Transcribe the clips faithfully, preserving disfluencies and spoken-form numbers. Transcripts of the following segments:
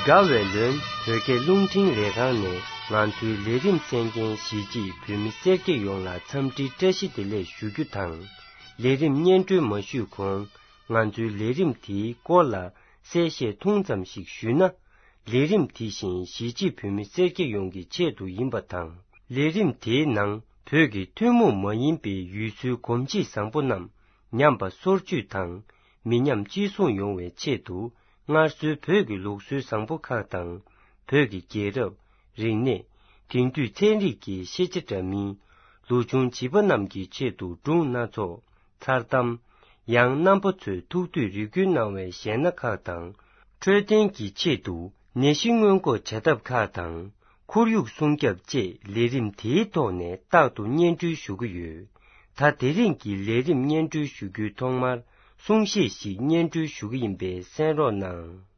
དགའ་བའི་ལོན་བོད་སྐད་རླུང་འཕྲིན་ལས་ཁང་ནས་ང་ཚོའི་ལས་རིམ་གསན་མཁན་གཞིས་བྱེས་བོད་མི་སེར་སྐྱ་ཡོངས་ལ་འཚམས་འདྲིའི་བཀྲ་ཤིས་བདེ་ལེགས་ཞུ་རྒྱུ་དང་། ལས་རིམ་སྙན་སྒྲོན་མ་ཞུས་གོང་། ང་ཚོའི་ལས་རིམ་དེའི་སྐོར་ལ་གསལ་བཤད་ཐུང་ཙམ་ཞིག་ཞུས་ན། ལས་རིམ་དེ་བཞིན་གཞིས་བྱེས་བོད་མི་སེར་སྐྱ་ཡོངས་ཀྱི་ཆེད་དུ་ཡིན་པ་དང་། ལས་རིམ་དེའི་ནང་བོད་ཀྱི་ཐུན་མོང་མ་ཡིན་པའི་ཡུལ་སྲོལ་གོམས་གཤིས་བཟང་པོ་རྣམས་ཉམས་པ་སོར་ཆུད་དང་མི་ཉམས་གཅེས་སྲུང་ཡོང་བའི་ཆེད་དུ། སྔར་སྲོལ་བོད་ཀྱི་ལུགས་སྲོལ་བཟང་པོ་ཁག་དང་། བོད་ཀྱི་རྒྱལ་རབས། རིག་གནས། དེང་དུས་ཚན་རིག་གི་ཤེས་བྱ་འདྲ་མིན། ལོ་ཆུང་བྱིས་པ་རྣམས་ཀྱི་ཆེད་དུ་སྒྲུང་སྣ་ཚོགས། མཚར་གཏམ། ཡང་རྣམ་པ་ཚོས་ཐུགས་འདོད་རེ་སྐུལ་གནང་བའི་གཞས་སྣ་ཁག་དང་། འཕྲོད་བསྟེན་གྱི་ཆེད་དུ་ནད་གཞི་སྔོན་འགོག་བྱ་ཐབས་ཁག་དང་། ཁོར་ཡུག་སྲུང་སྐྱོབ་བཅས་ལས་རིམ་དེའི་ཐོག་ནས་རྟག་ཏུ་སྙན་སྒྲོན་ཞུ་གི་ཡོད། ད་དེ་རིང་གི་ལས་རིམ་སྙན་སྒྲོན་ཞུ་རྒྱུའི་ཐོག་མར་གསུང་བཤད་ཞིག་སྙན་སྒྲོན་ཞུ་གི་ཡིན་པས་གསན་རོགས་གནང་།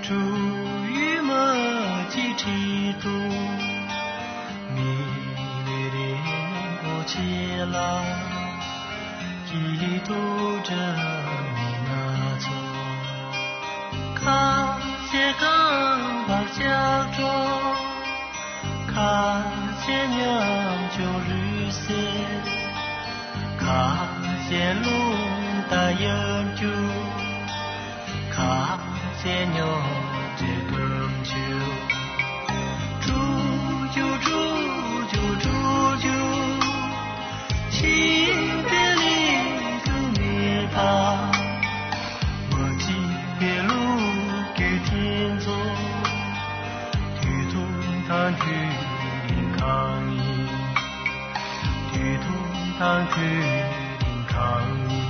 ཁྲུ་ཡུ་མ་ཅི་ཁྲི་ཏུ། མི་ལི་རིན་པོ་ཆེ་ལ། སྐྱིད་སྡུག་འདྲ་མིན་སྣ་ཚོགས། ཁ་ཟས་རྐང་པར་ལྕགས་སྒྲོག་ཁ་ཟས་ཉམ་ཆུང་རུས་གསེར། ཁ་ཟས་རླུང་རྟ་ཡབ་རྒྱུག་ཁ་ཟས་ཉོ་ཆེ་སྐམ་ཆུ། ཁྲུ་ཆུ་ཁྲུ་ཆུ་ཁྲུ་ཆུ། ཤིང་རྟའི་གླིང་དུ་མེད་པ། མ་གཅིག་པའི་ལོ་རྒྱུས་འཐེན་ཚོགས། དུས་ཐུང་དང་དུས་རིང་གང་ཡིན། དུས་ཐུང་དང་དུས་རིང་གང་ཡིན།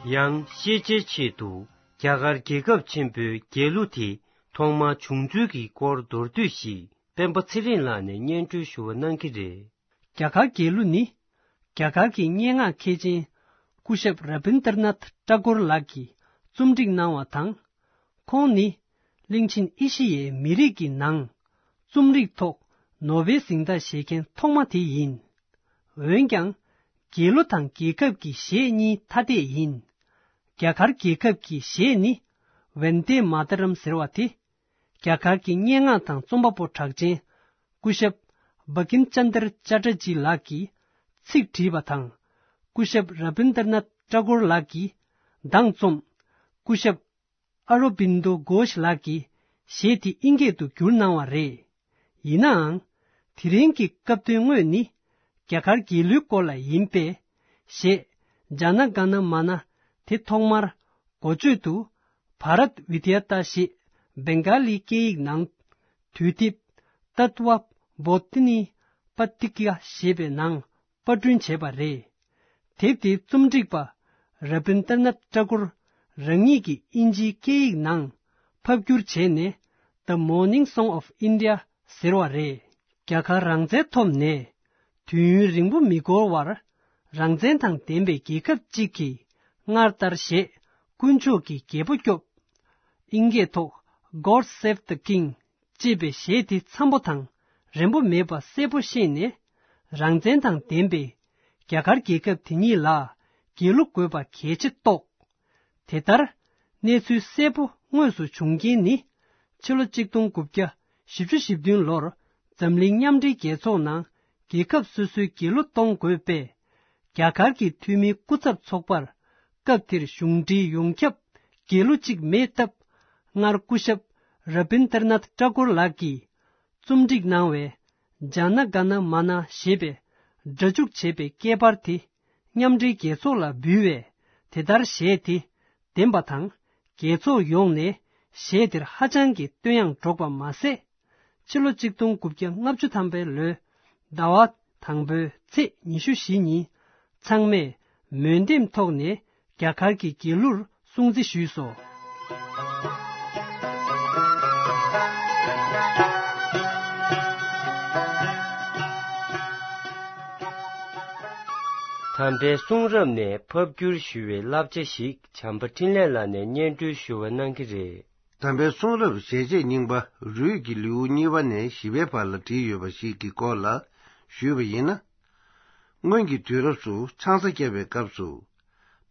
ཡང་ཤེས་བྱའི་ཆེད་དུ་རྒྱ་གར་རྒྱལ་ཁབ་ཆེན་པོའི་རྒྱལ་གླུ་དེ་ཐོག་མར་བྱུང་ཚུལ་གྱི་སྐོར་མདོར་བསྡུས་ཤིག་སྤེན་པ་ཚེ་རིང་ལགས་ནས་སྙན་སྒྲོན་ཞུ་བ་གནང་གི་རེད། རྒྱ་གར་རྒྱལ་གླུ་ནི། རྒྱ་གར་གྱི་སྙན་ངག་མཁས་ཅན་སྐུ་ཞབས་ར་བིན་དར་ནཱཐ་ཏ་གོར་ལགས་ཀྱིས་རྩོམ་སྒྲིག་གནང་བ་དང་། ཁོང་ནི་ གླིང་ཆེན་ཨེ་ཤི་ཡའི་མི་རིགས་ཀྱི་ནང་རྩོམ་རིག་ཐོག་ནོ་བེལ་གཟེངས་རྟགས་བཞེས་མཁན་ཐོག་མ་དེ་ཡིན། འོན་ཀྱང་། རྒྱལ་གླུ་དང་རྒྱལ་ཁབ་ཀྱི་གཞས་གཉིས་ཐ་དད་ཡིན། རྒྱ་གར་རྒྱལ་ཁབ་ཀྱི་གཞས་ནི་ཝན་དེ་མ་ཏ་རམ་ཟེར་བ་དེ། རྒྱ་གར་གྱི་སྙན་ངག་དང་རྩོམ་པ་པོ་གྲགས་ཅན་སྐུ་ཞབས་བ་ཀིམ་ཅན་དར་ཅ་ཏྲ་ཇི་ལགས་ཀྱིས་ཚིག་བྲིས་པ་དང་། སྐུ་ཞབས་ར་བིན་དར་ནཱཐ་ཏྲ་གོར་ལགས་ཀྱིས་གདངས་རྩོམ། སྐུ་ཞབས་ཨ་རོ་བིན་དོ་གྷོཤ་ལགས་ཀྱིས་གཞས་དེ་ཨིན་སྐད་དུ་བསྒྱུར་གནང་བ་རེད། ཡིན་ནའང་། དེ་རིང་གི་སྐབས་དོན་དངོས་ནི་རྒྱ་གར་རྒྱལ་གླུའི་སྐོར་ལ་ཡིན་པས། གཞས་ཇཱ་ན་ག་ན་མ་ན་དེ་ཐོག་མར་འགོ་བརྗོད་དུ་བྷ་རད་ཝི་དི་ཡ་ཏཱ་ཞེས་བེང་ག་ལི་སྐད་ཡིག་ནང་དུས་དེབ་ཏཏ་ཝ་བོ་དྷི་ནི་པ་ཏི་ཀ་ཞེས་པའི་ནང་པར་སྐྲུན་བྱས་པ་རེད། དེབ་དེའི་རྩོམ་སྒྲིག་པ་ར་བིན་དར་ནཱཐ་ཏྲ་གུར་རང་ཉིད་ཀྱིས་ཨིན་ཇིའི་སྐད་ཡིག་ནང་ཕབ་བསྒྱུར་བྱས་ནས། The Morning Song of India ཟེར་བ་རེད། རྒྱ་གར་རང་བཙན་ཐོབ་ནས་དུས་ཡུན་རིང་པོ་མི་འགོར་བར། རང་བཙན་དང་ལྡན་པའི་རྒྱལ་ཁབ་ཅིག་གིས་སྔར་ལྟར་གཞས་དཀོན་མཆོག་གི་རྒྱལ་པོ་སྐྱོབས། ཨིན་སྐད་ཐོག་God Save the King ཅེས་པའི་གཞས་དེ་འཚམ་པོ་དང་རན་པོ་མེད་པ་གསལ་པོ་ཤེས་ནས། རང་བཙན་དང་ལྡན་པའི་རྒྱ་གར་རྒྱལ་ཁབ་དེ་ཉིད་ལ་རྒྱལ་གླུ་དགོས་པ་གལ་ཆེ་རྟོགས། དེ་ལྟར་གནས་ཚུལ་གསལ་པོ་དངོས་སུ་བྱུང་རྐྱེན་ནི། ཕྱི་ལོ་གཅིག་སྟོང་དགུ་བརྒྱ་བཞི་བཅུ་ཞེ་བདུན་ལོར་འཛམ་གླིང་མཉམ་འབྲེལ་རྒྱལ་ཚོགས་ནང་རྒྱལ་ཁབ་སོ་སོའི་རྒྱལ་གླུ་གཏོང་དགོས་པས། རྒྱ་གར་གྱི་འཐུས་མིའི་སྐུ་ཚབ་ཚོགས་པར་སྐབས་དེར་གཞུང་འབྲེལ་ཡོངས་ཁྱབ་རྒྱལ་གླུ་གཅིག་མེད་སྟབས། སྔར་སྐུ་ཞབས་ར་བིན་དར་ནཱཐ་ཏྲ་གོར་ལགས་ཀྱིས་རྩོམ་སྒྲིག་གནང་བའི་ཇཱ་ན་ག་ན་མ་ན་ཞེས་པའི་སྒྲ་འཇུག་བྱས་པའི་སྐད་འབར་དེ་མཉམ་འབྲེལ་རྒྱལ་ཚོགས་ལ་འབུལ་བས། དེ་ལྟར་གཞས་དེ་བདེན་པ་དང་། རྒྱལ་ཚོགས་ཡོངས་ནས་གཞས་དེར་ཧ་ཅང་གི་བསྟོད་དབྱངས་སྒྲོག་པ་མ་ཟད། ཕྱི་ལོ་གཅིག་སྟོང་དགུ་བརྒྱ་ལྔ་བཅུ་ཐམ་པའི་ལོའི་ཟླ་བ་དང་པོའི་ཚེས་ཉི་ཤུ་བཞི་ཉིན་ཚང་མས་མོས་འདེམས་ཐོག་ནས་རྒྱ་གར་གྱི་རྒྱལ་གླུར་སྲུང་བརྩི་ཞུས་སོ། དམ་པའི་གསུང་རབ་ནས་ཕབ་བསྒྱུར་ཞུ་བའི་བསླབ་བྱ་ཞིག་བྱམས་པ་འཕྲིན་ལས་ལགས་ནས་སྙན་སྒྲོན་ཞུ་བ་གནང་གི་རེད། དམ་པའི་གསུང་རབ་ཞལ་ཆད་རྙིང་པ་རུས་ཀྱི་ལེའུ་གཉིས་པ་ནས་བཞི་པའི་བར་ལ་བྲིས་ཡོད་པ་ཞིག་གི་སྐོར་ལ་ཞུས་པ་ཡིན་ན། སྔོན་གྱི་དུས་རབས་སུ་ཆང་ས་བརྒྱབ་པའི་སྐབས་སུ།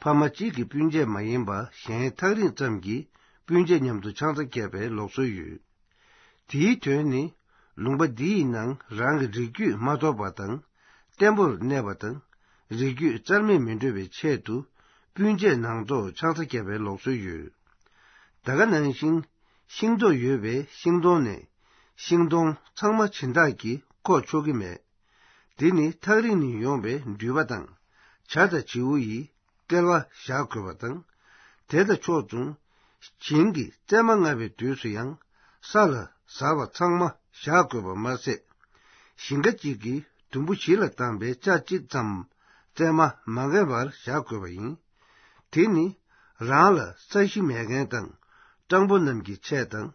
ཕ་མ་གཅིག་གི་སྤུན་མཆེད་མ་ཡིན་པ་གཞན་ཐག་རིང་ཙམ་གྱི་སྤུན་མཆེད་མཉམ་དུ་ཆང་ས་བརྒྱབ་པའི་ལུགས་སྲོལ་ཡོད། དེའི་དོན་ནི། ལུང་པ་འདི་ཡི་ནང་རང་གི་རིགས་རྒྱུད་མ་གཏོགས་པ་དང་། བརྟན་པོར་གནས་པ་དང་། རིགས་རྒྱུད་རྩ་མེད་མི་འགྲོ་བའི་ཆེད་དུ། སྤུན་མཆེད་ནང་ཐོག་ཆང་ས་བརྒྱབ་པའི་ལུགས་སྲོལ་ཡོད། ད་ག་ནང་བཞིན། ཤིང་ཏོག་ཡོད་པའི་ཤིང་སྡོང་ནས། ཤིང་སྡོང་ཚང་མ་སྦྱིན་བདག་གིས་བཀོག་ཆོག་གི་མེད། དེ་ནི་ཐག་རིང་ནས་ཡོང་བའི་འགྲུལ་པ་དང་། བྱ་དང་བྱིའུ་ཡིས་སྐལ་བ་བཞག་དགོས་པ་དང་། དེ་དང་ཕྱོགས་མཚུངས། བྱིན་གྱིས་བཙས་མ་མངའ་བའི་དུས་སུ་ཡང་། ས་ལ་ཟ་བ་ཚང་མ་བཞག་དགོས་པ་མ་ཟད། ཞིང་ཁ་གཅིག་གི་དུམ་བུ་བཞི་ལ་བཏང་པའི་ལྕགས་གཅིག་ཙམ་བཙས་མ་མ་འགེངས་པར་བཞག་དགོས་པ་ཡིན། དེ་ནི་རང་ལ་ས་གཞི་མེད་མཁན་དང་། སྤྲང་པོ་རྣམས་ཀྱི་ཆས་དང་།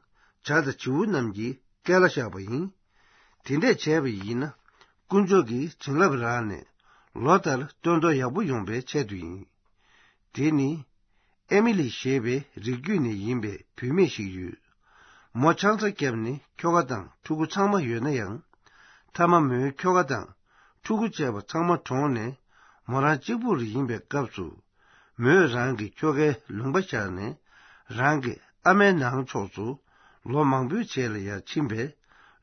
བྱ་དང་བྱིའུ་རྣམས་ཀྱི་སྐལ་བ་བཞག་པ་ཡིན། དེ་འདྲས་བྱས་པ་ཡིན་ན། དཀོན་མཆོག་གི་བྱིན་རླབས་རག་ནས། ལོ་ལྟར་སྟོན་ཐོག་ཡག་པོ་ཡོང་པའི་ཆེད་དུ་ཡིན། དེ་ནི། ཨེ་མི་ལི་ཞེས་པའི་རིགས་རྒྱུད་ནས་ཡིན་པའི་བུད་མེད་ཞིག་ཡོད། མོ་ཆང་ས་བརྒྱབ་ནས་ཁྱོ་ག་དང་ཕྲུ་གུ་ཚང་མ་ཡོད་ན་ཡང་། མཐའ་མ་མོའི་ཁྱོ་ག་དང་ཕྲུ་གུ་བཅས་པ་ཚང་མ་གྲོངས་ནས། མོ་རང་གཅིག་པུར་ཡིན་པའི་སྐབས་སུ། མོས་རང་གི་ཁྱོ་གའི་ལུང་པ་བཞག་ནས། རང་གི་ཨ་མའི་ནང་ཕྱོགས་སུ་ལོ་མང་པོའི་རྗེས་ལ་ཡར་ཕྱིན་པས།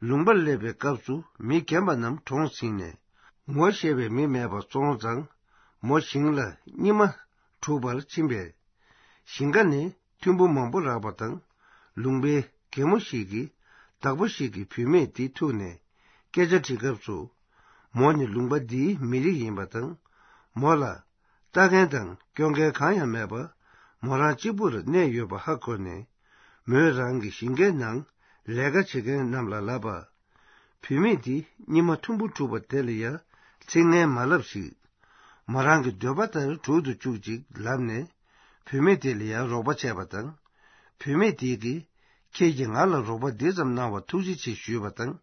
ལུང་པར་སླེབས་པའི་སྐབས་སུ་མི་རྒན་པ་རྣམས་གྲོངས་ཟིན་ནས། ངོ་ཤེས་པའི་མི་མེད་པ་སོང་ཙང་། མོ་ཞིང་ལ་སྙིགས་མ་སྒྲུག་པར་ཕྱིན་པས། ཞིང་ཁ་ནས་ཐུམ་བུ་མང་པོ་རག་པ་དང་། ལུང་པའི་རྒན་མོ་ཞིག་གིས་བདག་པོ་ཞིག་གི་བུད་མེད་དེ་ཐུག་ནས་སྐད་ཆ་དྲི་སྐབས་སུ། མོ་ནི་ལུང་པ་འདིའི་མི་རིགས་ཡིན་པ་དང་། མོ་ལ་ལྟ་མཁན་དང་སྐྱོང་མཁན་གང་ཡང་མེད་པ། མོ་རང་གཅིག་པུར་གནས་ཡོད་པ་ཧ་གོ་ནས། མོས་རང་གི་ཞིང་ཁའི་ནང་ལས་ཀ་བྱེད་མཁན་རྣམས་ལ་ལབ་པ། བུད་མེད་དེ་སྙིགས་མ་ཐུམ་བུ་འཁྲུགས་པ་དེ་ལ་ཡ་ཚིག་ངན་མ་ལབ་ཞིག་མོ་རང་གི་འདོད་པ་ལྟར་འགྲུབ་ཏུ་བཅུག་ཅིག་ལབ་ནས། བུད་མེད་དེ་ལ་ཡང་རོགས་པ་བྱས་པ་དང་། བུད་མེད་དེ་གིས། ཁྱེད་ཀྱིས་ང་ལ་རོགས་པ་འདི་ཙམ་གནང་བར་ཐུགས་རྗེ་ཆེ་ཞུས་པ་དང་།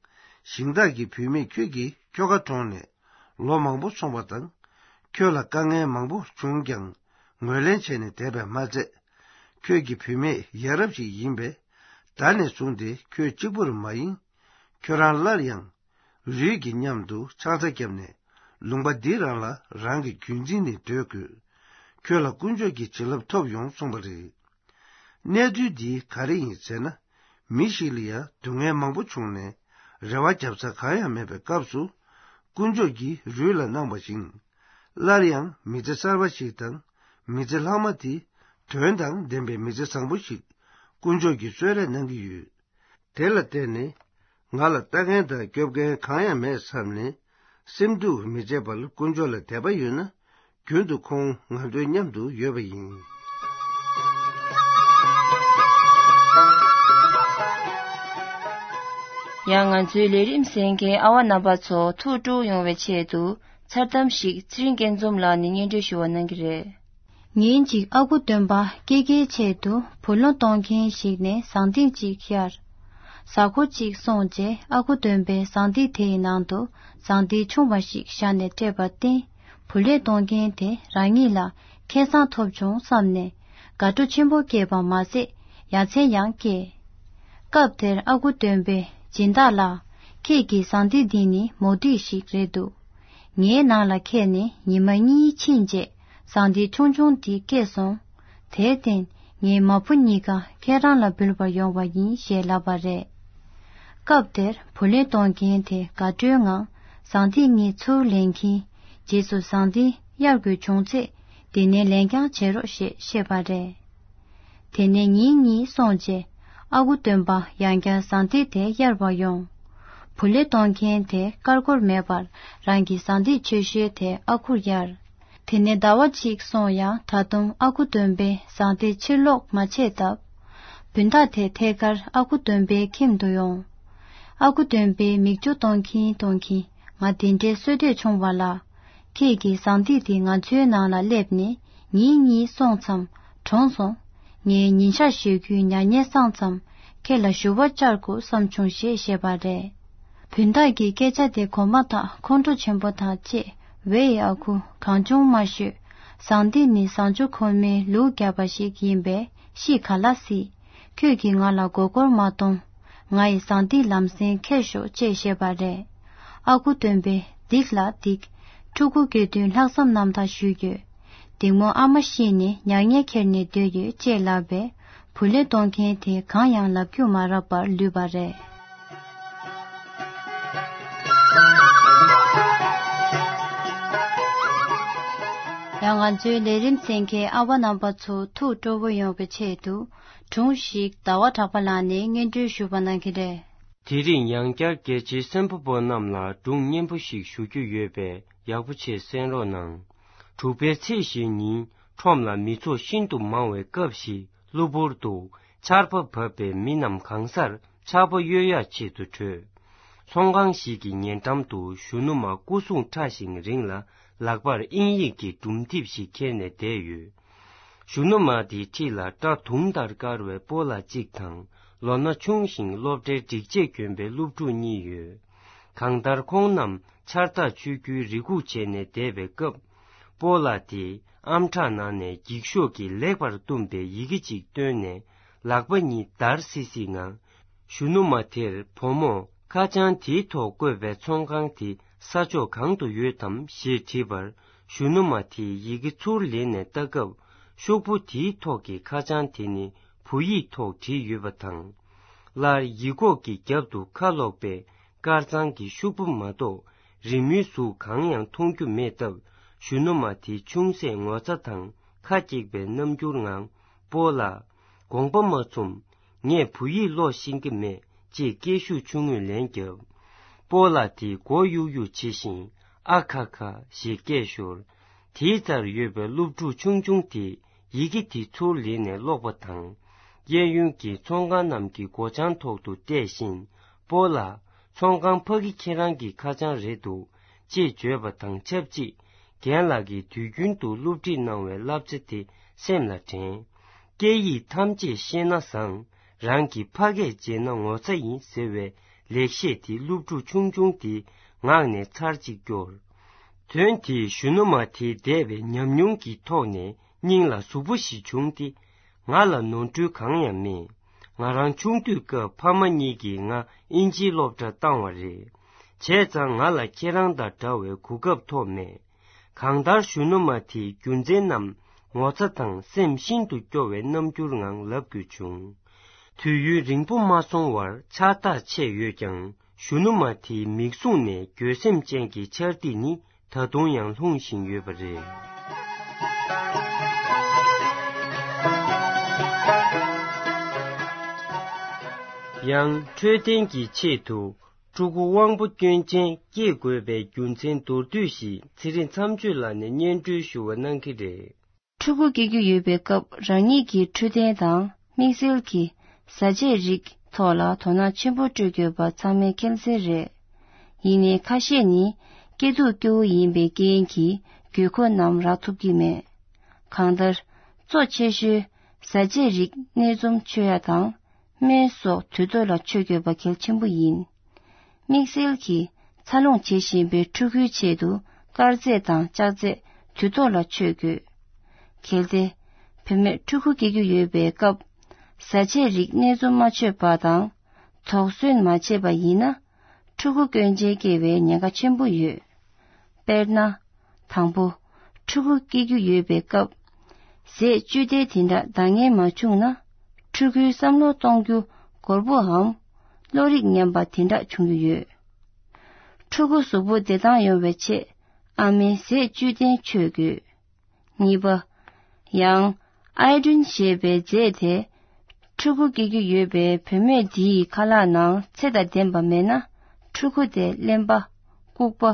ཞིང་བདག་གིས་བུད་མེད་ཁྱོད་ཀྱི་ཁྱོ་ག་གྲོངས་ནས་ལོ་མང་པོ་སོང་བ་དང་། ཁྱོད་ལ་དཀའ་ངལ་མང་པོ་བྱུང་ཀྱང་ངོས་ལེན་བྱས་ནས་བསྡད་པས་མ་ཚད། ཁྱོད་ཀྱི་བུད་མེད་ཡ་རབས་ཤིག་ཡིན་པས། ད་ནས་བཟུང་སྟེ་ཁྱོད་གཅིག་པུར་མ་ཡིན། ཁྱོད་རང་སླར་ཡང་རུས་ཀྱི་མཉམ་དུ་ཕྱག་འཚལ་བརྒྱབ་ནས་ལུང་པ་འདི་རང་ལ་རང་གི་རྒྱུད་འཛིན་ནས་སྡོད་དགོས། ཁྱོད་ལ་དཀོན་མཆོག་གི་བྱིན་རླབས་ཐོབ་ཡོང་གསུངས་པ་རེད། གནས་ཚུལ་འདི་ག་རེ་ཡིན་ཟེར་ན། མི་ཞིག་ལ་ཡང་སྡུག་བསྔལ་མང་པོ་བྱུང་ནས་རེ་བ་བརྒྱབ་ས་གང་ཡང་མེད་པའི་སྐབས་སུ། དཀོན་མཆོག་གིས་རུས་ལ་གནང་བ་བཞིན། སླར་ཡང་མི་ཚེ་གསར་པ་ཞིག་དང་། མི་ཚེ་ལྷག་མ་དེ་དོན་དང་ལྡན་པའི་མི་ཚེ་བཟང་པོ་ཞིག་དཀོན་མཆོག་གིས་གསོལ་རས་གནང་གི་ཡོད། དེ་ལ་བརྟེན་ནས་ང་ལ་ལྟ་མཁན་དང་སྐྱོབ་མཁན་གང་ཡང་མེད་བསམ་ནས། སེམས་སྡུག་མི་བྱེད་པར་དཀོན་མཆོག་ལ་དད་པ་ཡོད་ན། རྒྱུན་དུ་ཁོང་ང་ཚོའི་མཉམ་དུ་ཡོད་པ་ཡིན། ཡང་ང་ཚོའི་ལས་རིམ་གསན་མཁན་ཨ་བ་རྣམ་པ་ཚོ་ཐུགས་སྤྲོ་ཡོང་བའི་ཆེད་དུ། མཚར་གཏམ་ཞིག་ཚེ་རིང་སྐྱིད་འཛོམས་ལགས་ནས་སྙན་སྒྲོན་ཞུ་བ་གནང་གི་རེད། ཉིན་གཅིག་ཨ་ཁུ་སྟོན་པ་སྐྱེ་རྒྱའི་ཆེད་དུ་བུ་ལོན་གཏོང་མཁན་ཞིག་ནས་ཟངས་ཐིགས་གཅིག་གཡར། གཟའ་འཁོར་གཅིག་སོང་རྗེས་ཨ་ཁུ་སྟོན་པས་ཟངས་ཐིགས་དེའི་ནང་དུ་ཟངས་ཐིགས་ཆུང་བ་ཞིག་བཞག་ནས་སྤྲད་པར་བརྟེན། བུ་ལོན་གཏོང་མཁན་དེ་རང་ཉིད་ལ་ཁེ་བཟང་ཐོབ་བྱུང་བསམ་ནས་དགའ་སྤྲོ་ཆེན་པོ་སྐྱེས་པ་མ་ཟད་ཡ་མཚན་ཡང་སྐྱེས། སྐབས་དེར་ཨ་ཁུ་སྟོན་པས་སྦྱིན་བདག་ལ། ཁྱེད་ཀྱི་ཟངས་ཐིགས་འདི་ནི་མོ་ཐིགས་ཤིག་རེད་འདུག་ངའི་ནང་ལ་ཁྱེད་ནི་ཉི་མ་གཉིས་ཕྱིན་རྗེས་ཟངས་ཐིགས་ཆུང་ཆུང་འདི་སྐྱེས་སོང་། དེར་བརྟེན་ངའི་མ་བུ་གཉིས་ཀ་ཁྱེད་རང་ལ་འབུལ་བར་ཡོང་བ་ཡིན་ཞེས་ལབ་པ་རེད། སྐབས་དེར་བུ་ལོན་གཏོང་མཁན་དེ་དགའ་སྤྲོའི་ངང་ཟངས་ཐིགས་གཉིས་ཚུར་ལེན་གྱིན་རྗེས་སུ་ཟངས་ཐིགས་གཡར་དགོས་བྱུང་ཚེ་འདི་ནས་ལེན་རྐྱང་བྱེད་རོགས་ཞེས་བཤད་པ་རེད། དེ་ནས་ཉིན་གཉིས་སོང་རྗེས་ཨ་ཁུ་སྟོན་པ་ཡང་བསྐྱར་ཟངས་ཐིགས་དེ་གཡར་བར་ཡོང་། བུ་ལོན་གཏོང་མཁན་དེ་ཀར་ཀོར་མེད་པར་རང་གི་ཟངས་ཐིགས་ཆེ་ཤོས་དེ་ཨ་ཁུར་གཡར། དེ་ནས་ཟླ་བ་གཅིག་སོང་ཡང་ད་དུང་ཨ་ཁུ་སྟོན་པས་ཟངས་ཐིགས་ཕྱིར་སློག་མ་བྱས་སྟབས། བུན་བདག་དེ་ཐད་ཀར་ཨ་ཁུ་སྟོན་པའི་ཁྱིམ་དུ་ཡོང་། ཨ་ཁུ་སྟོན་པས་མིག་ཆུ་གཏོང་གིན་གཏོང་གིན་ང་དེ་འདྲའི་བསོད་བདེ་བྱུང་བ་ལ། ཁྱེད་ཀྱི་ཟངས་ཐིགས་འདི་ང་ཚོའི་ནང་ལ་སླེབས་ནས་ཉིན་གཉིས་སོང་ཙམ་གྲོངས་སོང་། ངས་ཉིན་ཞག་བཞི་དགུའི་མྱ་ངན་སངས་ཙམ་ཁྱེད་ལ་ཞུ་བ་བཅར་དགོས་བསམ་བྱུང་ཞེས་བཤད་པ་རེད། བུན་བདག་གིས་སྐད་ཆ་དེ་གོ་མ་ཐག་ཁོང་ཁྲོ་ཆེན་པོ་དང་བཅས། ཝེ་ཨ་ཁུ། གང་བྱུང་མ་ཤོད། ཟངས་ཐིགས་ནི་བཟང་སྤྱོད་ཁོལ་མའི་ལུག་བརྒྱབ་པ་ཞིག་ཡིན་པས་ཤི་ག་ལ་སྲིད། ཁྱོད་ཀྱིས་ང་ལ་མགོ་སྐོར་མ་གཏོང་། ང་ཡི་ཟངས་ཐིགས་ལམ་སེང་ཁྱེར་ཤོག་ཅེས་བཤད་པ་རེད། ཨ་ཁུ་སྟོན་པས་སྡིག་ལ་སྡིག་ཕྲུ་གུ་སྐྱེ་དུས་ལྷག་བསམ་རྣམ་དག་ཞུས་ཡོད། སྡིག་མོ་ཨ་མ་ཤི་ནས་མྱ་ངན་ཁྱེར་ནས་སྡོད་ཡོད་ཅེས་ལབ་པས་བུ་ལོན་གཏོང་མཁན་དེ་གང་ཡང་ལབ་རྒྱུ་མ་རག་པར་ལུས་པ་རེད། ཡང་ང་ཚོའི་ལས་རིམ་གསན་མཁན་ཨ་བ་རྣམ་པ་ཚོ་ཐུགས་སྤྲོ་བོ་ཡོང་བའི་ཆེད་དུ་སྒྲུང་ཞིག་ཟླ་བ་གྲགས་པ་ལགས་ནས་སྙན་སྒྲོན་ཞུ་བ་གནང་གི་རེད། དེ་རིང་ཡང་བསྐྱར་རྒྱལ་གཅེས་སེམས་པ་པོ་རྣམས་ལ་སྒྲུང་སྙན་པོ་ཞིག་ཞུ་རྒྱུ་ཡོད་པས་ཡག་པོ་བྱས་གསན་རོགས་གནང་། དྲུག་པའི་ཚེས་བཞི་ཉིན་ཁྲོམ་ལ་མི་ཚོགས་ཤིན་ཏུ་མང་བའི་སྐབས་ཤིག་གློ་བུར་དུ་ཆར་པ་བབས་པས་མི་རྣམས་གང་སར་ཆར་པ་གཡོལ་ཡག་ཆེད་དུ་བྲོས། ཚོང་ཁང་ཞིག་གི་ཉེ་འགྲམ་དུ་གཞོན་ནུ་མ་སྐུ་གཟུགས་ཕྲ་ཞིང་རིང་ལ་ལག་པར་དབྱིན་ཡིག་གི་སྒྲུང་དེབ་ཞིག་འཁྱེར་ནས་བསྡད་ཡོད། གཞོན་ནུ་མ་དེའི་འཁྲིས་ལ་སྐྲ་དུང་ལྟར་དཀར་བའི་སྤོ་ལགས་གཅིག་དང་ལོ་ན་ཆུང་ཞིང་སློབ་གྲྭའི་སྒྲིག་ཆས་གྱོན་པའི་སློབ་ཕྲུག་གཉིས་ཡོད། གང་ལྟར་ཁོང་རྣམས་ཆར་ཐག་ཆོད་རྒྱུའི་རེ་སྒུག་བྱས་ནས་བསྡད་པའི་སྐབས། སྤོ་ལགས་དེས་ཨམ་ཕྲག་ནང་ནས་འགྱིག་ཤོག་གིས་ལེགས་པར་བཏུམས་པའི་ཡི་གེ་གཅིག་བཏོན་ནས་ལག་པ་གཉིས་འདར་སིག་སིག་ངང་། གཞོན་ནུ་མ་དེར་བུ་མོ་ཁ་བྱང་དེའི་ཐོག་བཀོད་པའི་ཚོང་ཁང་དེ་ས་ཕྱོགས་གང་དུ་ཡོད་དམ་ཞེས་དྲིས་པར། གཞོན་ནུ་མ་དེས་ཡི་གེ་ཚུར་ལེན་ནས་ལྟ་སྐབས། ཤོག་བུ་དེའི་ཐོག་གི་ཁ་བྱང་དེ་ནི་བོད་ཡིག་ཐོག་བྲིས་ཡོད་པ་དང་། སླར་ཡིག་ཁོག་གི་རྒྱབ་ཏུ་ཁ་ལོག་པའི་དཀར་གཙང་གི་ཤོག་བུ་མ་གཏོགས་རི་མོའི་གཟུགས་གང་ཡང་མཐོང་རྒྱུ་མེད་སྟབས། གཞོན་ནུ་མ་དེ་ཅུང་ཟད་ངོ་ཚ་དང་ཁ་སྐྱེགས་པའི་རྣམ་འགྱུར་ངང་། སྤོ་ལགས། དགོངས་པ་མ་ཚོམས། ངས་བོད་ཡིག་ཀློག་ཤེས་ཀྱི་མེད་ཅེས་སྐད་ཤུགས་ཆུང་ངུས་ལན་བརྒྱབ། སྤོ་ལགས་དེས་མགོ་གཡུག་གཡུག་བྱེད་བཞིན་ཨ་ཁ་ཁ་ཞེས་སྐད་ཤོར། དེའི་རྩར་ཡོད་པའི་སློབ་ཕྲུག་ཆུང་ཆུང་དེས་ཡི་གེ་དེ་ཚུར་ལེན་ནས་ཀློག་པ་དང་། གཡས་གཡོན་གྱི་ཚོང་ཁང་རྣམས་ཀྱི་སྒོ་བྱང་ཐོག་ཏུ་བལྟས་བཞིན། སྤོ་ལགས། ཚོང་ཁང་ཕ་གི་ཁྱེད་རང་གི་ཁ་བྱང་རེད་འདུག་ཅེས་བརྗོད་པ་དང་ཆབས་ཅིག་རྒན་ལགས་ཀྱིས་དུས་རྒྱུན་དུ་སློབ་ཁྲིད་གནང་བའི་བསླབ་བྱ་དེ་སེམས་ལ་དྲན། སྐད་ཡིག་ཐམས་ཅད་ཤེས་ན་བཟང་། རང་གི་ཕ་སྐད་བརྗེད་ན་ངོ་ཚ་ཡིན་ཟེར་བའི་ལེགས་བཤད་དེ་སློབ་ཕྲུག་ཆུང་ཆུང་དེའི་ངག་ནས་ཚར་གཅིག་སྐྱོར། དོན་དེས་གཞོན་ནུ་མ་དེའི་འདས་པའི་ཉམས་མྱོང་གི་ཐོག་ནས་སྙིང་ལ་ཟུག་པོ་ཞིག་བྱུང་སྟེ། ང་ལ་ནོར་འཁྲུལ་གང་ཡང་མེད། ང་རང་ཆུང་དུས་སྐབས་ཕ་མ་གཉིས་ཀྱིས་ང་ཨིན་ཇིའི་སློབ་གྲྭར་བཏང་བ་རེད། བྱས་ཙང་ང་ལ་ཁྱེད་རང་དང་འདྲ་བའི་གོ་སྐབས་ཐོབ་མེད། གང་ལྟར་གཞོན་ནུ་མ་དེའི་རྒྱུ་མཚན་རྣམས་ངོ་ཚ་དང་སེམས་ཤིན་ཏུ་སྐྱོ་བའི་རྣམ་འགྱུར་ངང་ལབ་དགོས་བྱུང་། དུས་ཡུན་རིང་པོ་མ་སོང་བར་ཕྱག་རྟགས་ཆད་ཡོད་ཀྱང་། གཞོན་ནུ་མ་དེའི་མིག་ཟུང་ནས་འགྱོད་སེམས་ཅན་གྱི་འཆར་ཏི་ནི་ད་དུང་ཡང་ལྷུང་བཞིན་ཡོད་པ་རེད། ཡང་འཕྲོད་བསྟེན་གྱི་ཆེད་དུ་ཕྲུ་གུ་དབང་པོ་སྐྱོན་ཅན་སྐྱེ་དགོས་པའི་རྒྱུ་མཚན་མདོར་བསྡུས་ཤིག་ཚེ་རིང་མཚམས་གཅོད་ལགས་ནས་སྙན་སྒྲོན་ཞུ་བ་གནང་གི་རེད། ཕྲུ་གུ་སྐྱེ་རྒྱུ་ཡོད་པའི་སྐབས་རང་ཉིད་ཀྱི་འཕྲོད་བསྟེན་དང་དམིགས་བསལ་གྱི་བཟའ་ཆས་རིགས་ཐོག་ལ་དོ་སྣང་ཆེན་པོ་སྤྲོད་དགོས་པ་ཚང་མས་མཁྱེན་གསལ་རེད། ཡིན་ནའི་ཁ་ཤས་ནི་སྐྱེ་སྡུག་སྐྱོ་བོ་ཡིན་པའི་རྐྱེན་གྱིས་དགོས་མཁོ་རྣམས་རག་ཐུབ་ཀྱི་མེད། གང་ལྟར་གཙོ་ཆེ་ཤོས་བཟའ་ཆས་རིགས་སྣེ་འཛོམས་སྤྱོད་ཡ་དང་སྨན་སོགས་དུས་ཐོག་ལ་མཆོད་དགོས་པ་གལ་ཆེན་པོ་ཡིན། དམིགས་བསལ་གྱིས་འཚར་ལོངས་བྱེད་བཞིན་པའི་ཕྲུ་གུའི་ཆེད་དུ་དཀར་ཟས་དང་ལྕགས་ཚད་དུས་ཐོག་ལ་མཆོད་དགོས། གལ་ཏེ་བུད་མེད་ཕྲུ་གུ་སྐྱེ་རྒྱུ་ཡོད་པའི་སྐབས་བཟའ་ཆས་རིགས་སྣེ་འཛོམས་མ་མཆོད་པ་དང་དོགས་ཟོན་མ་བྱས་པ་ཡིན་ན། ཕྲུ་གུ་སྐྱོན་ཅན་སྐྱེ་བའི་ཉེན་ཁ་ཆེན་པོ་ཡོད། དཔེར་ན། དང་པོ། ཕྲུ་གུ་སྐྱེ་རྒྱུ་ཡོད་པའི་སྐབས། ཟས་བཅུད་ལྡན་དེ་འདྲ་འདང་ངེས་མ་བྱུང་ན། ཕྲུ་གུའི་བསམ་བློ་གཏོང་རྒྱུ་སྒོར་པོའམ། བློ་རིག་ཉམས་པ་དེ་འདྲ་བྱུང་རྒྱུ་ཡོད། ཕྲུ་གུ་གཟུགས་པོ་བདེ་ཐང་ཡོང་བའི་ཆེད། ཨ་མས་ཟས་བཅུད་ལྡན་མཆོད་དགོས། གཉིས་པ། ཡང་། ཨའི་ཌིན་ཞེས་པའི་རྫས་དེ། ཕྲུ་གུ་སྐྱེ་རྒྱུ་ཡོད་པའི་བུད་མེད་འདིའི་ཁ་ལག་ནང་ཚད་དང་ལྡན་པ་མེད་ན། ཕྲུ་གུ་དེ་གླེན་པ། ལྐུགས་པ།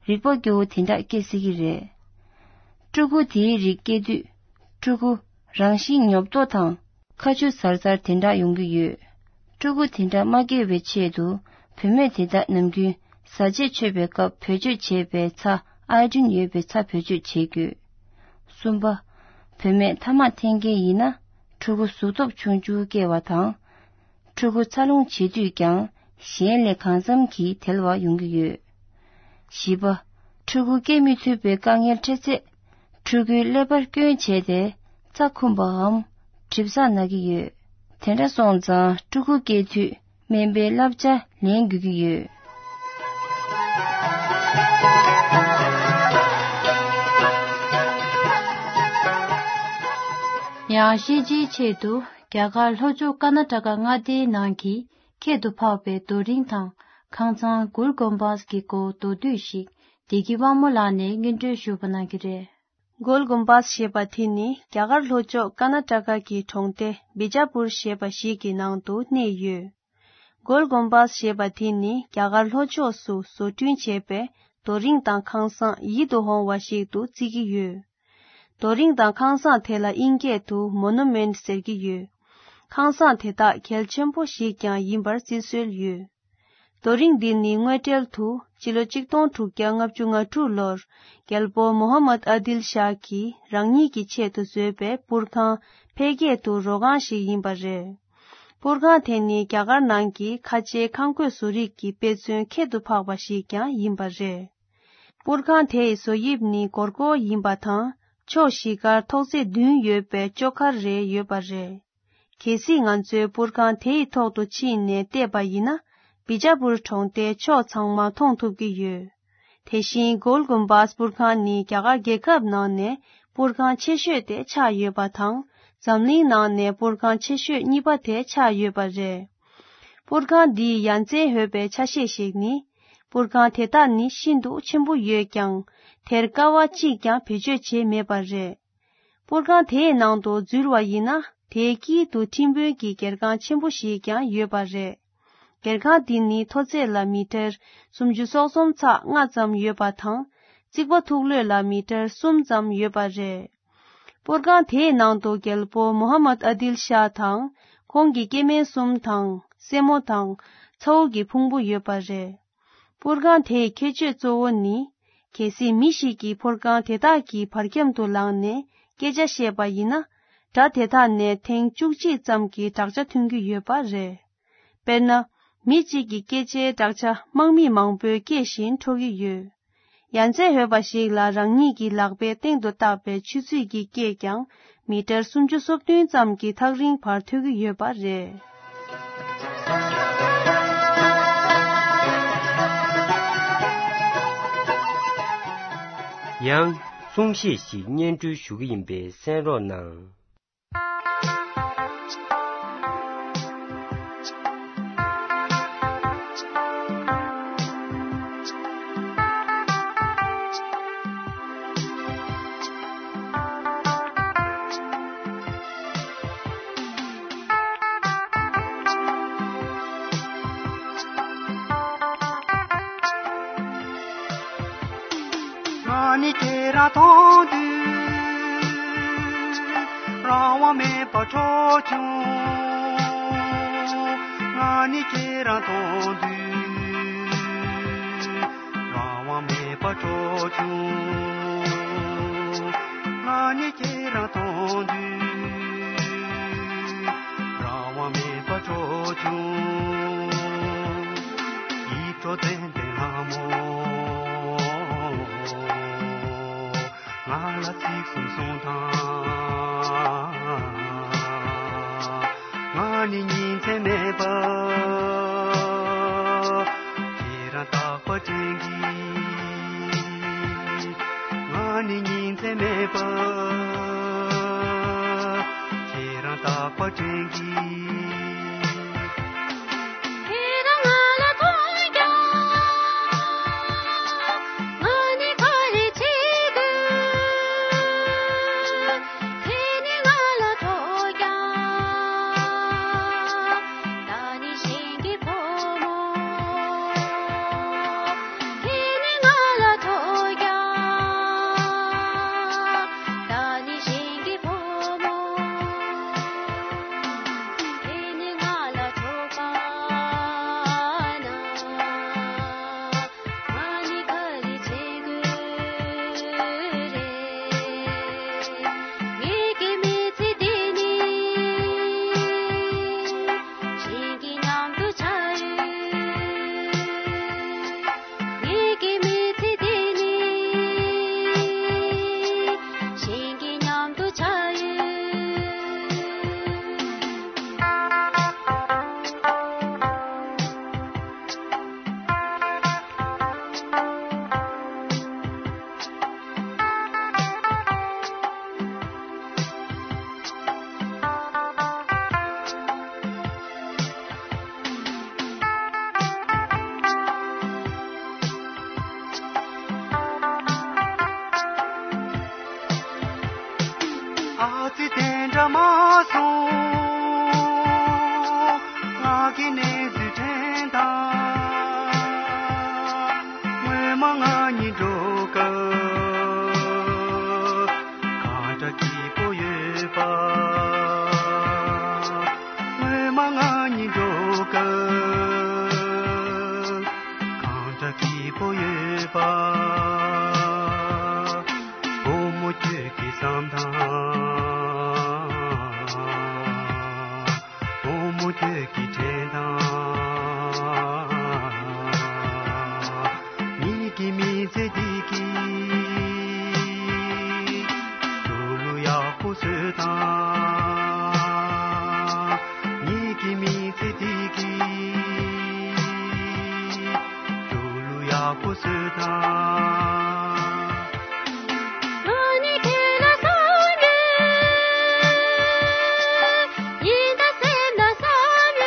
རིག་པ་སྐྱོ་བོ་དེ་འདྲ་སྐྱེ་སྲིད་ཀྱི་རེད། ཕྲུ་གུ་དེའི་རིགས་སྐྱེ་དུས། ཕྲུ་གུ་རང་བཞིན་ཉོབ་ཏོ་དང་། ཁ་ཆུ་ཟར་ཟར་དེ་འདྲ་ཡོང་གི་ཡོད། ཕྲུ་གུ་དེ་འདྲ་མ་སྐྱེ་བའི་ཆེད་དུ། བུད་མེད་དེ་དག་ནམ་རྒྱུན་བཟའ་ཆས་མཆོད་པའི་སྐབས་བེད་སྤྱོད་བྱེད་པའི་ཚྭ་ཨའི་ཌིན་ཡོད་པའི་ཚྭ་བེད་སྤྱོད་བྱེད་དགོས། གསུམ་པ། བུད་མེད་ཐ་མག་འཐེན་མཁན་ཡིན་ན། ཕྲུ་གུ་གཟུགས་སྟོབས་ཆུང་ཆུང་སྐྱེ་བ་དང་། ཕྲུ་གུ་འཚར་ལོངས་བྱེད་དུས་ཀྱང་གཞན་ལས་གང་འཚམ་གྱིས་དལ་བ་ཡོང་གི་ཡོད། བཞི་པ། ཕྲུ་གུ་སྐྱེ་མི་ཐུབ་པའི་དཀའ་ངལ་འཕྲད་ཚེ། ཕྲུ་གུའི་ཀླད་པར་སྐྱོན་བྱས་ཏེ། རྩ་འཁུམས་པའམ། གྲིབ་ཚགས་ན་གི་ཡོད། དེ་འདྲ་སོང་ཙང་ཕྲུ་གུ་སྐྱེ་དུས་སྨན་པའི་བསླབ་བྱ་ལེན་དགོས་ཀྱི་ཡོད། ཡང་ཤེས་བྱའི་ཆེད་དུ་རྒྱ་གར་ལྷོ་ཕྱོགས་ཀར་ན་ཊ་ཀ་མངའ་སྡེའི་ནང་གི་ཁྱད་དུ་འཕགས་པའི་རྡོ་རིང་དང་ཁང་ཚང་གུལ་གོམ་པཱས་ཀྱི་སྐོར་མདོར་བསྡུས་ཤིག་བདེ་སྐྱིད་དབང་མོ་ལགས་ནས་སྙན་སྒྲོན་ཞུ་བ་གནང་གི་རེད། གུལ་གོམ་པཱས་ཞེས་པ་དེ་ནི་རྒྱ་གར་ལྷོ་ཕྱོགས་ཀར་ན་ཊ་ཀ་གི་གྲོང་སྡེ་བི་ཇ་པུར་ཞེས་པ་ཞིག་གི་ནང་དུ་གནས་ཡོད། གུལ་གོམ་པཱས་ཞེས་པ་དེ་ནི་རྒྱ་གར་ལྷོ་ཕྱོགས་སུ་བཟོ་སྐྲུན་བྱས་པའི་རྡོ་རིང་དང་ཁང་བཟང་ཡིད་དུ་འོང་བ་ཞིག་ཏུ་བརྩི་གི་ཡོད། རྡོ་རིང་དང་ཁང་བཟང་དེ་ལ་དབྱིན་སྐད་དུ་མོ་ནུ་མེན་ཊ་ཟེར་གྱི་ཡོད། ཁང་བཟང་དེ་དག་གལ་ཆེན་པོ་ཞིག་ཀྱང་ཡིན་པར་བརྩི་སྲོལ་ཡོད། རྡོ་རིང་འདི་ནི་དངོས་འབྲེལ་དུ་སྤྱི་ལོ་གཅིག་སྟོང་དྲུག་བརྒྱ་ལྔ་བཅུ་ང་དྲུག་ལོར་རྒྱལ་པོ་མོ་ཧམ་མད་ཨ་དིལ་ཤཱ་གིས་རང་ཉིད་ཀྱི་ཆེད་དུ་བཟོས་པའི་པུར་ཁང་འཕེལ་རྒྱས་དུ་རོ་ཁང་ཞིག་ཡིན་པ་རེད། པུར་ཁང་དེ་ནི་རྒྱ་གར་ནང་གི་ཁ་ཆེའི་ཁང་བརྐོས་བཟོ་རིག་གི་དཔེ་མཚོན་ཁྱད་དུ་འཕགས་པ་ཞིག་ཀྱང་ཡིན་པ་རེད། པུར་ཁང་དེའི་བཟོ་དབྱིབས་ནི་སྒོར་སྒོར་ཡིན་པ་དང་ཕྱོགས་བཞི་ཀར་ཐོག་བརྩེགས་བདུན་ཡོད་པའི་ཅོ་ཁར་རེ་ཡོད་པ་རེད། གལ་སྲིད་ང་ཚོས་པུར་ཁང་དེ་ཡི་ཐོག་ཏུ་ཕྱིན་ནས་བལྟས་པ་ཡིན་ན། བི་ཇ་པུར་གྲོང་སྡེའི་ཕྱོགས་ཚང་མ་མཐོང་ཐུབ་ཀྱི་ཡོད། དེ་བཞིན་གོལ་གུམ་བཱས་པུར་ཁང་ནི་རྒྱ་གར་རྒྱལ་ཁབ་ནང་ནས་པུར་ཁང་ཆེ་ཤོས་དེ་ཆགས་ཡོད་པ་དང་། འཛམ་གླིང་ནང་ནས་པུར་ཁང་ཆེ་ཤོས་གཉིས་པ་དེ་ཆགས་ཡོད་པ་རེད། པུར་ཁང་འདིའི་ཡ་མཚན་ཡོད་པའི་ཆ་ཤས་ཤིག་ནི། པུར་ཁང་དེ་དག་ནི་ཤིན་ཏུ་ཆེན་པོ་ཡོད་ཀྱང་། དེར་ཀ་བ་གཅིག་ཀྱང་བེད་སྤྱོད་བྱས་མེད་པ་རེད། པུར་ཁང་དེའི་ནང་དུ་འཛུལ་བ་ཡིན་ན། དེའི་དཀྱིལ་དུ་ཁྲིམས་དཔོན་གྱི་སྒེར་ཁང་ཆེན་པོ་ཞིག་ཀྱང་ཡོད་པ་རེད། སྒེར་ཁང་འདི་ནི་མཐོ་ཚད་ལ་མི་ཊར་སུམ་ཅུ་སོ་གསུམ་ཚེག་ལྔ་ཙམ་ཡོད་པ་དང་། རྩིག་པ་ཐུག་ལྷོད་ལ་མི་ཊར་གསུམ་ཙམ་ཡོད་པ་རེད། པུར་ཁང་དེའི་ནང་དུ་རྒྱལ་པོ་མོ་ཧམ་མད་ཨ་དིལ་ཤཱ་དང་། ཁོང་གི་སྐྱེ་དམན་གསུམ་དང་། སྲས་མོ་དང་། ཚ་བོ་གི་ཕུང་པོ་ཡོད་པ་རེད། པུར་ཁང་དེའི་ཁྱད་ཆོས་གཙོ་བོ་ནི། གལ་སྲིད་མི་ཞིག་གིས་པུར་ཁང་དེ་དག་གི་བར་ཁྱམས་དུ་ལངས་ནས་སྐད་ཆ་བཤད་པ་ཡིན་ན། སྒྲ་དེ་དག་ནས་ཐེངས་བཅུ་གཅིག་ཙམ་གྱི་བསྒྲགས་ཆ་ཐོན་གྱི་ཡོད་པ་རེད། དཔེར་ན། མི་གཅིག་གི་སྐད་ཆའི་བསྒྲགས་ཆ་དམག་མི་མང་པོས་སྐད་བཞིན་འཕྲོ་གི་ཡོད། ཡ་མཚན་ཡོད་པ་ཞིག་ལ། རང་ཉིད་ཀྱི་ལག་པའི་སྟེང་དུ་བཏགས་པའི་ཆུ་ཚོད་ཀྱི་སྐད་ཀྱང་མི་ཊར་སུམ་ཅུ་སོ་བདུན་ཙམ་གྱི་ཐག་རིང་བར་ཐོས་ཀྱི་ཡོད་པ་རེད། ཡང་གསུང་བཤད་ཞིག་སྙན་སྒྲོན་ཞུ་གི་ཡིན་པས་གསན་རོགས་གནང་། ང་ནི་ཁྱེད་རང་མཐོང་དུས་རང་དབང་མེད་པར་འཕྲོག་བྱུང་། ང་ནི་ཁྱེད་རང་མཐོང་དུས་རང་དབང་མེད་པར་འཕྲོག་བྱུང་། ང་ནི་ཁྱེད་རང་མཐོང་དུས་རང་དབང་མེད་པར་འཕྲོག་བྱུང་། ཡིད་འཕྲོག་ཙན་དན་ལྷ་མོ། ང་ལ་ཚིག་གསུམ་གསུངས་དང་། ང་ནི་ཉིན་མཚན་མེད་པར་ཁྱེད་རང་རྟག་པར་དྲན་གྱིས། ང་ནི་ཉིན་མཚན་མེད་པར་ཁྱེད་རང་རྟག་པར་དྲན་གྱིས། ཁྱེད་རང་ང་ལ་མཐོང་ཀྱང་ང་ནི་ག་རེ་བྱེད་དགོས། ཁྱེད་ནི་ང་ལ་ཐོས་ཀྱང་ད་ནི་གཞན་གྱི་བུ་མོ། ཁྱེད་ནི་ང་ལ་ཐོས་ཀྱང་ད་ནི་གཞན་གྱི་བུ་མོ། ཁྱེད་ནི་ང་ལ་ཐོས་པ་ན། ང་ནི་ག་རེ་བྱེད་དགོས་རེད། ངེད་ཀྱི་མི་ཚེ་འདི་ནི་གཞན་གྱི་མཉམ་དུ་ཆགས་ཡོད། ངེད་ཀྱི་མི་ཚེ་འདི་ནི་གཞན་གྱི་མཉམ་དུ་ཆགས་ཡོད། ཨ་ཙི་དེ་འདྲ་མ་སོང་། ང་གི་གནས་ཚུལ་དྲན་དང་། སྔོན་མ་ང་གཉིས་འགྲོགས་སྐབས་གང་འདྲ་སྐྱིད་པོ་ཡོད་པ། སྔོན་མ་ང་གཉིས་འགྲོགས་སྐབས་གང་འདྲ་སྐྱིད་པོ་ཡོད་པ། བུ་མོ་ཁྱོད་ཀྱིས་བསམ་དང་། བུ་མོ་ཁྱོད་ཀྱིས་དྲན་དང་། ངེད་ཀྱི་མི་ཚེ་འདི་གི་འགྲོ་ལུགས་ཡག་པོ་བཟོས་དང་། ངེད་ཀྱི་མི་ཚེ་འདི་གི་འགྲོ་ལུགས་ཡག་པོ་བཟོས་དང་། ང་ནི་ཁྱེད་ལ་བསམ་ཡོད། ཡིན་ད་སེམས་ན་བསམ་ཡོད།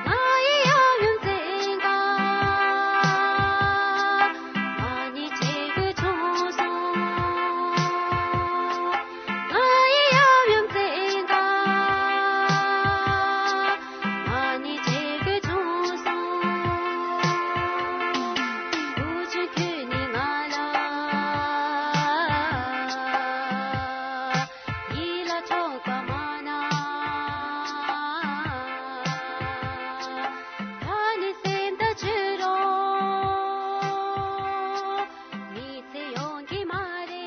ང་ཡི་ཡབ་ཡུམ་བཙན་ག་ང་ནི་བྱེད་དགོས་བྱུང་སོང་། ང་ཡི་ཡབ་ཡུམ་བཙན་ག་ང་ནི་བྱེད་དགོས་བྱུང་སོང་། བུ་ཆུང་ཁྱོད་ནི་ང་ལ་ཡིད་ལ་ཆོག་པ་མ་ན། ད་ནི་སེམས་ད་བཅོས་རོགས། མི་ཚེ་ཡོང་གི་མ་རེད།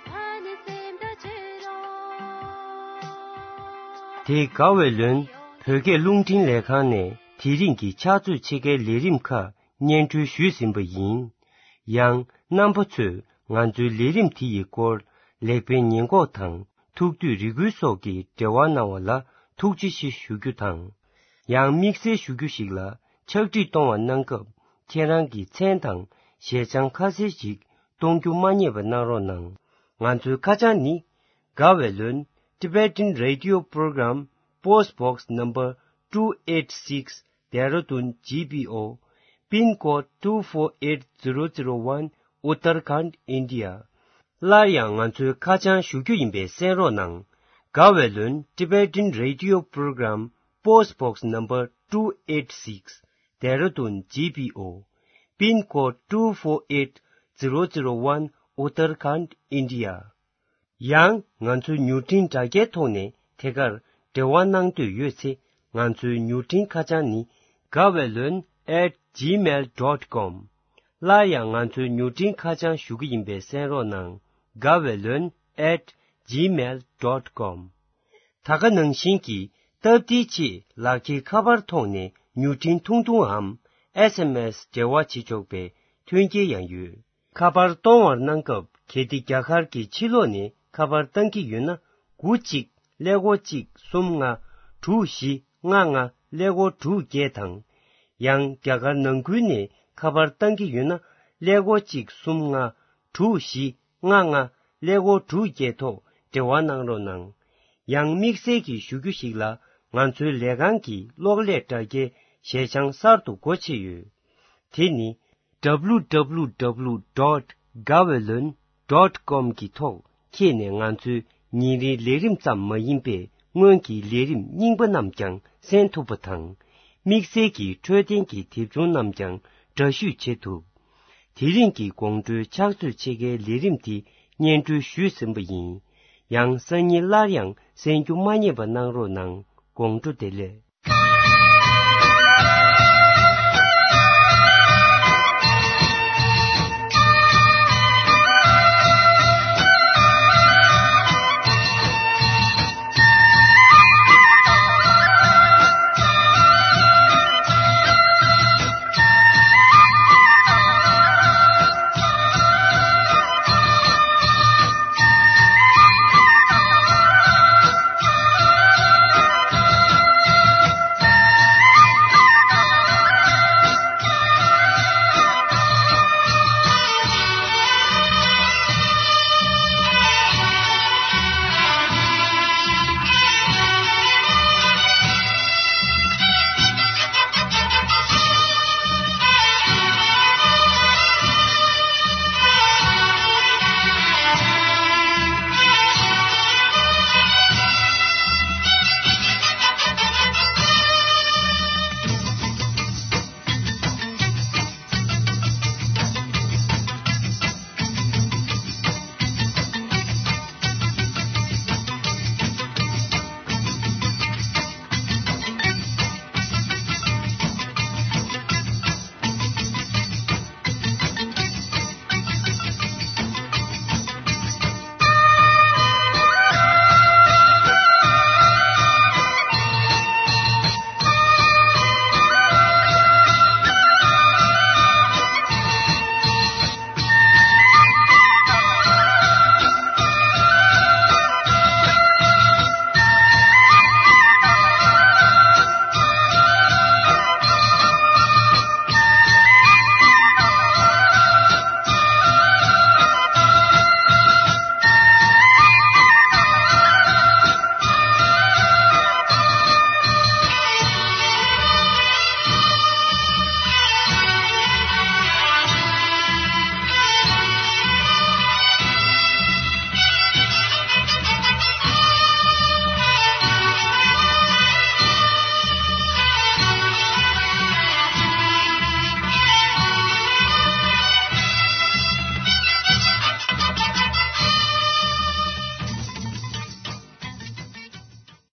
ད་ནི་སེམས་ད་བཅོས་རོགས། དེ་དགའ་བའི་ལོན་བོད་སྐད་རླུང་འཕྲིན་ལས་ཁང་ནས་དེ་རིང་གི་ཕྱག་ཚོད་ཕྱེད་ཀའི་ལས་རིམ་ཁག་སྙན་སྒྲོན་ཞུས་ཟིན་པ་ཡིན། ཡང་རྣམ་པ་ཚོས་ང་ཚོའི་ལས་རིམ་དེ་ཡི་སྐོར་ལེགས་སྤེལ་ཉེས་འགོག་དང་ཐུགས་འདོད་རེ་སྐུལ་སོགས་ཀྱི་འབྲེལ་བ་གནང་བ་ལ་ཐུགས་རྗེ་ཆེ་ཞུ་རྒྱུ་དང་། ཡང་དམིགས་བསལ་ཞུ་རྒྱུ་ཞིག་ལ་ཕྱག་བྲིས་གཏོང་བ་གནང་སྐབས་ ཁྱེད་རང་གི་མཚན་དང་ཞལ་བྱང་ཁ་གསལ་ཞིག་གཏོང་རྒྱུ་མ་བསྙེལ་བ་གནང་རོགས་གནང་། ང་ཚོའི་ཁ་བྱང་ནི། དགའ་བའི་ལོན། Tibetan Radio Program, Post Box Number two eight six, Dehradun G P O, Pin Code two four eight zero zero one, Uttarakhand, India. སླར་ཡང་ང་ཚོའི་ཁ་བྱང་ཞུ་རྒྱུ་ཡིན་པས་གསན་རོགས་གནང་། དགའ་བའི་ལོན། Tibetan Radio Program, Post Box Number two eight six, Dehradun G P O, Pin Code two four eight zero zero one, Uttarakhand, India. ཡང་ང་ཚོའི་མྱུར་འཕྲིན་དྲ་རྒྱའི་ཐོག་ནས་ཐད་ཀར་འབྲེལ་བ་གནང་འདོད་ཡོད་ཚེ། ང་ཚོའི་མྱུར་འཕྲིན་ཁ་བྱང་ནི། དགའ་བའི་ལོན་at gmail dot com། སླར་ཡང་ང་ཚོའི་མྱུར་འཕྲིན་ཁ་བྱང་ཞུ་གི་ཡིན་པས་གསན་རོགས་གནང་། དགའ་བའི་ལོན་at gmail dot com། ད་ག་ནང་བཞིན་གྱི་སྟབས་བདེའི་ཆེད་ལག་འཁྱེར་ཁ་པར་ཐོག་ནས་མྱུར་འཕྲིན་ཐུང་ཐུང་འམ། S M S འབྲེལ་བ་བྱེད་ཆོག་པའི་མཐུན་རྐྱེན་ཡང་ཡོད། ཁ་པར་གཏོང་བར་གནང་སྐབས། གལ་ཏེ་རྒྱ་གར་གྱི་ཕྱི་ལོགས་ནས་ཁ་པར་བཏང་གི་ཡོད་ན། དགུ་གཅིག་ཀླད་ཀོར་གཅིག་གསུམ་ལྔ་དྲུག་བཞི་ལྔ་ལྔ་ཀླད་ཀོར་དྲུག་བརྒྱད་དང་། ཡང་རྒྱ་གར་ནང་ཁུལ་ནས་ཁ་པར་བཏང་གི་ཡོད་ན། ཀླད་ཀོར་གཅིག་གསུམ་ལྔ་དྲུག་བཞི་ལྔ་ལྔ་ཀླད་ཀོར་དྲུག་བརྒྱད་ཐོག་འབྲེལ་བ་གནང་རོགས་གནང་། ཡང་དམིགས་བསལ་གྱི་ཞུ་རྒྱུ་ཞིག་ལ། ང་ཚོའི་ལས་ཁང་གི་གློག་ཀླད་དྲ་རྒྱའི་ཞལ་བྱང་གསར་དུ་སྒོ་ཕྱེ་ཡོད། དེ་ནི། W W W dot gaweylon dot com གི་ཐོག་འཁྱེར་ནས། ང་ཚོའི་ཉིན་རེའི་ལས་རིམ་ཙམ་མ་ཡིན་པའི་སྔོན་གྱི་ལས་རིམ་རྙིང་པ་རྣམས་ཀྱང་གསན་ཐུབ་པ་དང་། དམིགས་བསལ་གྱི་འཕྲོད་བསྟེན་གྱི་དེབ་ཆུང་རྣམས་ཀྱང་འདྲ་བཤུས་བྱེད་ཐུབ། དེ་རིང་གི་དགོང་དྲོའི་ཕྱག་ཚོད་ཕྱེད་ཀའི་ལས་རིམ་དེ་སྙན་སྒྲོན་ཞུས་ཟིན་པ་ཡིན། ཡང་སང་ཉིན་སླར་ཡང་གསན་རྒྱུ་མ་བསྙེལ་བ་གནང་རོགས་གནང་། དགོང་དྲོ་བདེ་ལེགས།